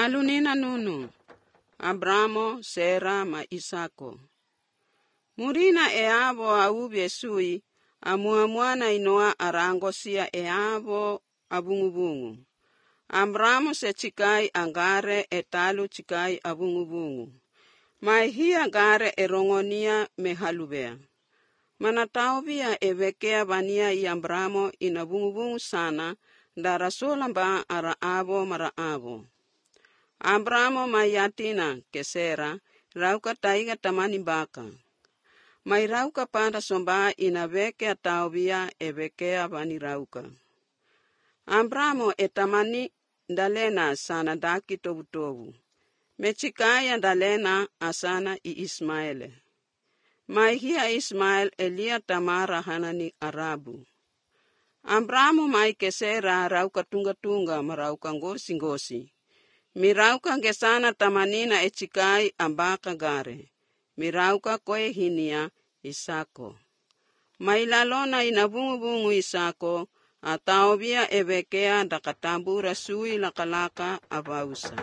Alunina nunu, Abramo, Sera ma Isako. Murina avo aubye sui, amuamuana inoa arangosia avo abungubungu. Abramo se chikai angare etalu chikai abungubungu. Mai hia gare erongonia mehalubea. Manataubia evekea vania i Abramo inabungubungu sana, darasola ba ara avo mara avo. Abramo mayatina kesera, rauka taiga tamani baka. Mai rauka pada somba inavekea taubia evekea vani rauka. Abramo etamani dalena sana daki tobu. Mechikaya dalena asana i Ismaele. Mai hia Ismael elia tamara hanani Arabu. Abramo mai kesera rauka tunga marauka ngosi. Mirauka gesana tamanina echikai ambaka gare. Mirauka koe hinia Isako. Mailalona inabungu Isako, ataobia evekea dakatambura sui lakalaka avausa.